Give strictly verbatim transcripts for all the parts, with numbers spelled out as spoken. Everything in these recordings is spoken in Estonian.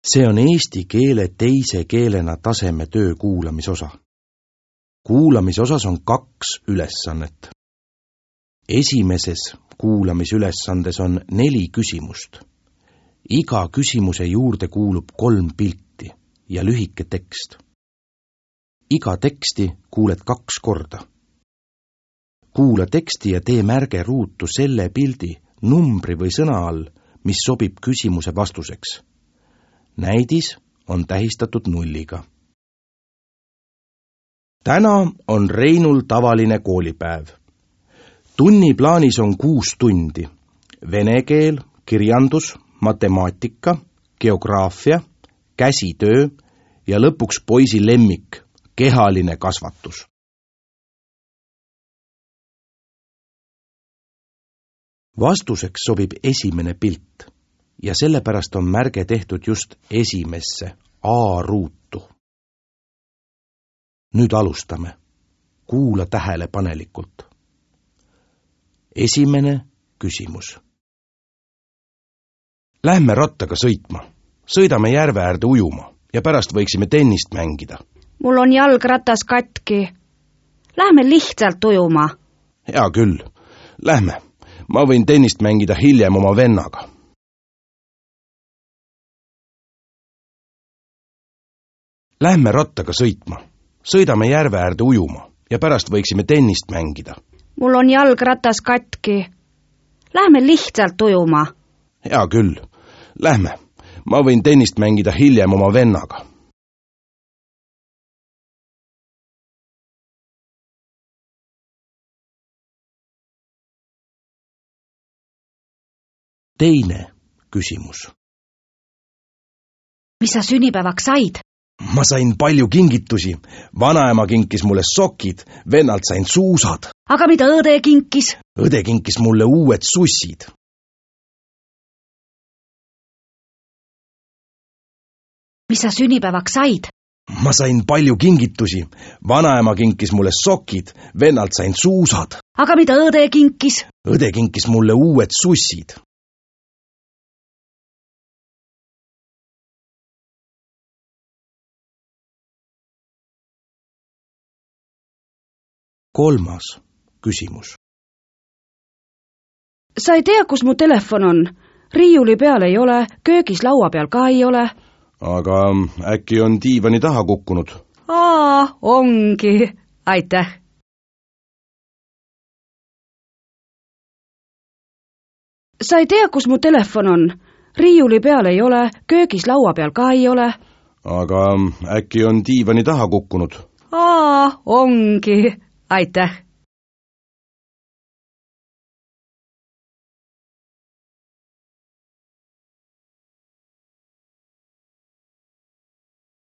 See on eesti keele teise keelena taseme töö kuulamisosa. Kuulamisosas on kaks ülesannet. Esimeses kuulamisülesandes on neli küsimust. Iga küsimuse juurde kuulub kolm pilti ja lühike tekst. Iga teksti kuuled kaks korda. Kuula teksti ja tee märge ruutu selle pildi, numbri või sõna all, mis sobib küsimuse vastuseks. Näidis on tähistatud nulliga. Täna on Reinul tavaline koolipäev. Tunniplaanis on kuus tundi. Vene keel, kirjandus, matemaatika, geograafia, käsitöö ja lõpuks poisi lemmik, kehaline kasvatus. Vastuseks sobib esimene pilt ja sellepärast on märge tehtud just esimesse A-ruutu. Nüüd alustame. Kuula tähelepanelikult. Esimene küsimus. Lähme rattaga sõitma. Sõidame järve äärde ujuma ja pärast võiksime tennist mängida. Mul on jalgratas katki. Lähme lihtsalt ujuma. Hea küll. Lähme. Ma võin tennist mängida hiljem oma vennaga. Lähme rattaga sõitma. Sõidame järve äärde ujuma ja pärast võiksime tennist mängida. Mul on jalgratas katki. Lähme lihtsalt ujuma. Hea küll. Lähme. Ma võin tennist mängida hiljem oma vennaga. Teine küsimus. Mis sa sünnipäevaks said? Ma sain palju kingitusi. Vanaema kinkis mulle sokid, vennalt sain suusad. Aga mida õde kinkis? Õde kinkis mulle uued sussid. Mis sa sünnipäevaks said? Ma sain palju kingitusi. Vanaema kinkis mulle sokid, vennalt sain suusad. Aga mida õde kinkis? Õde kinkis mulle uued sussid. Kolmas küsimus. Sa ei tea, kus mu telefon on? Riiuli peal ei ole, köögis laua peal ka ei ole. Aga äkki on diivani taha kukkunud? Aa, ongi. Aitäh. Sa ei tea, kus mu telefon on? Riiuli peal ei ole, köögis laua peal ka ei ole. Aga äkki on diivani taha kukkunud? Aa, ongi. Aitäh.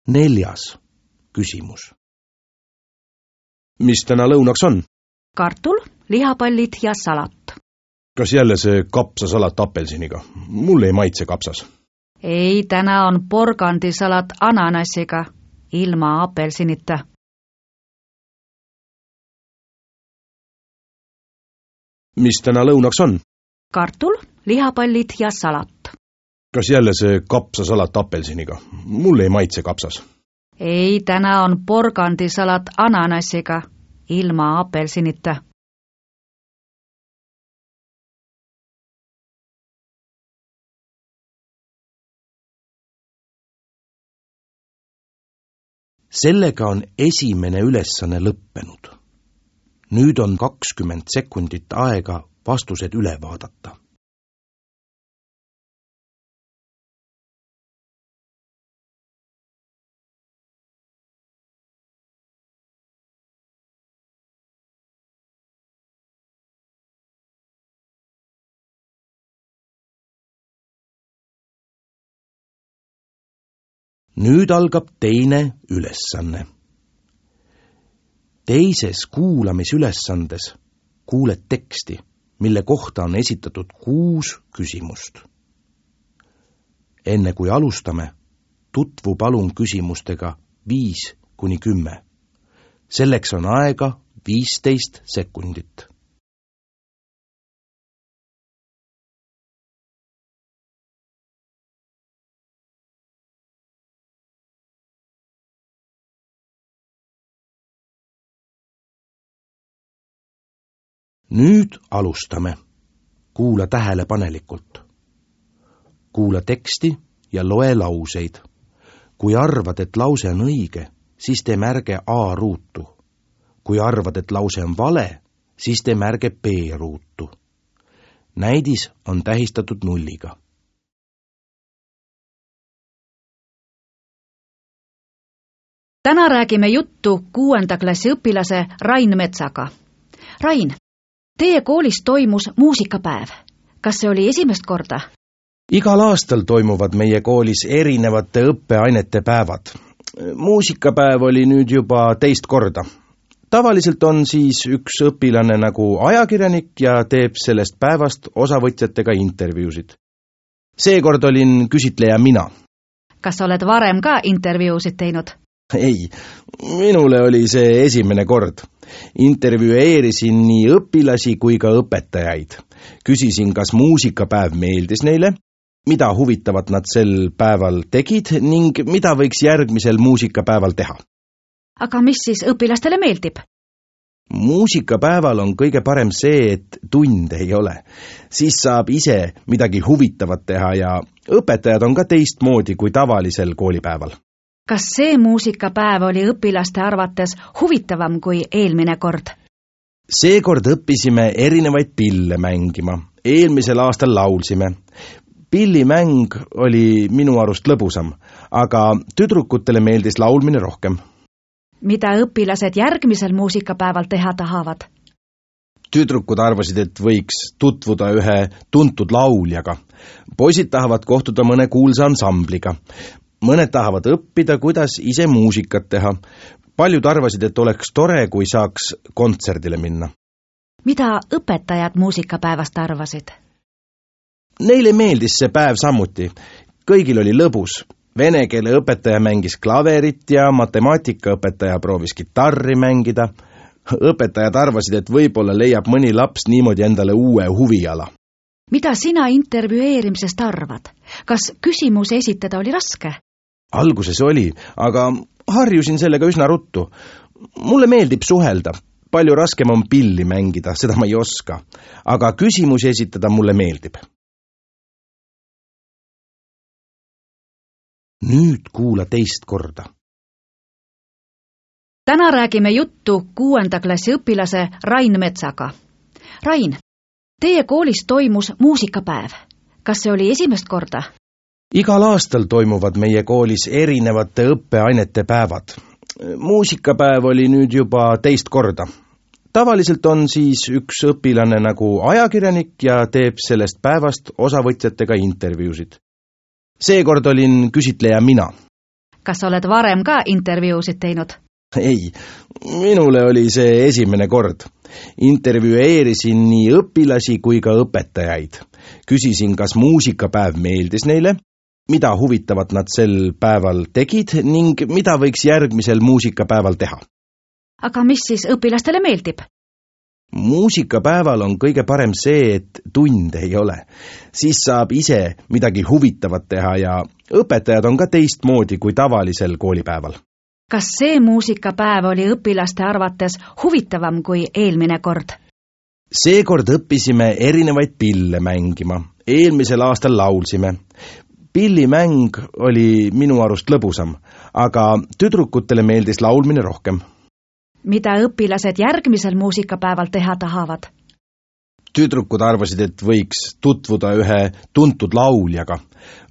Neljas küsimus. Mis täna lõunaks on? Kartul, lihapallid ja salat. Kas jälle see kapsasalat apelsiniga? Mulle ei maitse kapsas. Ei, täna on porgandisalat ananassiga, ilma apelsinita. Mis täna lõunaks on? Kartul, lihapallid ja salat. Kas jälle see kapsasalat apelsiniga? Mulle ei maitse kapsas. Ei, täna on porgandisalat ananassiga, ilma apelsinita. Sellega on esimene ülesanne lõppenud. Nüüd on kakskümmend sekundit aega vastused üle vaadata. Nüüd algab teine ülesanne. Teises kuulamisülesandes kuuled teksti, mille kohta on esitatud kuus küsimust. Enne kui alustame, tutvu palun küsimustega viis kuni kümme. Selleks on aega viisteist sekundit. Nüüd alustame. Kuula tähelepanelikult. Kuula teksti ja loe lauseid. Kui arvad, et lause on õige, siis tee märge A ruutu. Kui arvad, et lause on vale, siis tee märge B ruutu. Näidis on tähistatud nulliga. Täna räägime juttu kuuenda klassi õpilase Rain Metsaga. Rain, teie koolis toimus muusikapäev. Kas see oli esimest korda? Igal aastal toimuvad meie koolis erinevate õppeainete päevad. Muusikapäev oli nüüd juba teist korda. Tavaliselt on siis üks õpilane nagu ajakirjanik ja teeb sellest päevast osavõtjatega intervjuusid. Seekord olin küsitleja mina. Kas oled varem ka intervjuusid teinud? Ei, minule oli see esimene kord. Intervjueerisin nii õpilasi kui ka õpetajaid. Küsisin, kas muusikapäev meeldis neile, mida huvitavat nad sel päeval tegid ning mida võiks järgmisel muusikapäeval teha. Aga mis siis õpilastele meeldib? Muusikapäeval on kõige parem see, et tunde ei ole. Siis saab ise midagi huvitavat teha ja õpetajad on ka teistmoodi kui tavalisel koolipäeval. Kas see muusikapäev oli õpilaste arvates huvitavam kui eelmine kord? Seekord õppisime erinevaid pille mängima. Eelmisel aastal laulsime. Pillimäng oli minu arust lõbusam, aga tüdrukutele meeldis laulmine rohkem. Mida õpilased järgmisel muusikapäeval teha tahavad? Tüdrukud arvasid, et võiks tutvuda ühe tuntud lauljaga. Poisid tahavad kohtuda mõne kuulsa ansambliga. Mõned tahavad õppida, kuidas ise muusikat teha. Paljud arvasid, et oleks tore, kui saaks kontserdile minna. Mida õpetajad muusikapäevast arvasid? Neile meeldis see päev samuti. Kõigil oli lõbus. Vene keele õpetaja mängis klaverit ja matemaatikaõpetaja proovis kitarri mängida. Õpetajad arvasid, et võib-olla leiab mõni laps niimoodi endale uue huviala. Mida sina intervjueerimisest arvad? Kas küsimuse esitada oli raske? Alguses oli, aga harjusin sellega üsna ruttu. Mulle meeldib suhelda. Palju raskem on pilli mängida, seda ma ei oska. Aga küsimusi esitada mulle meeldib. Nüüd kuula teist korda. Täna räägime juttu kuuenda klassi õpilase Rain Metsaga. Rain, teie koolis toimus muusikapäev. Kas see oli esimest korda? Igal aastal toimuvad meie koolis erinevate õppeainete päevad. Muusikapäev oli nüüd juba teist korda. Tavaliselt on siis üks õpilane nagu ajakirjanik ja teeb sellest päevast osavõtjatega intervjuusid. Seekord olin küsitleja mina. Kas oled varem ka intervjuusid teinud? Ei, minule oli see esimene kord. Intervjueerisin nii õpilasi kui ka õpetajaid. Küsisin, kas muusikapäev meeldis neile, mida huvitavat nad sel päeval tegid ning mida võiks järgmisel muusikapäeval teha. Aga mis siis õpilastele meeldib? Muusikapäeval on kõige parem see, et tunde ei ole. Siis saab ise midagi huvitavat teha ja õpetajad on ka teistmoodi kui tavalisel koolipäeval. Kas see muusikapäev oli õpilaste arvates huvitavam kui eelmine kord? Seekord õppisime erinevaid pille mängima. Eelmisel aastal laulsime. Pillimäng oli minu arust lõbusam, aga tüdrukutele meeldis laulmine rohkem. Mida õpilased järgmisel muusikapäeval teha tahavad? Tüdrukud arvasid, et võiks tutvuda ühe tuntud lauljaga.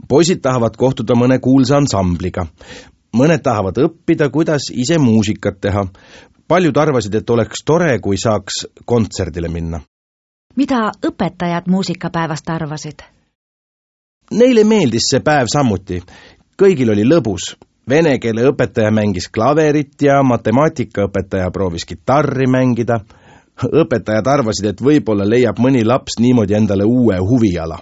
Poisid tahavad kohtuda mõne kuulsa ansambliga. Mõned tahavad õppida, kuidas ise muusikat teha. Paljud arvasid, et oleks tore, kui saaks kontserdile minna. Mida õpetajad muusikapäevast arvasid? Neile meeldis see päev samuti. Kõigil oli lõbus. Vene keele õpetaja mängis klaverit ja matemaatikaõpetaja proovis kitarri mängida. Õpetajad arvasid, et võib-olla leiab mõni laps niimoodi endale uue huviala.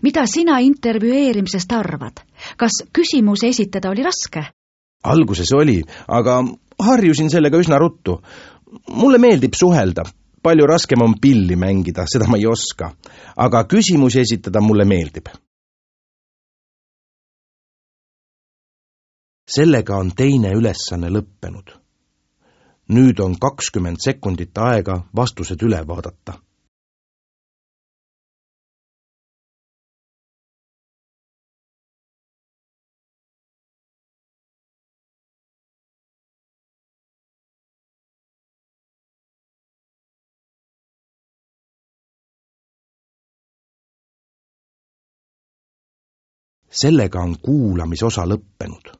Mida sina intervjueerimisest arvad? Kas küsimuse esitada oli raske? Alguses oli, aga harjusin sellega üsna ruttu. Mulle meeldib suhelda. Palju raskem on pilli mängida, seda ma ei oska. Aga küsimusi esitada mulle meeldib. Sellega on teine ülesanne lõppenud. Nüüd on kakskümmend sekundit aega vastused üle vaadata. sellega on kuulamisosa lõppenud.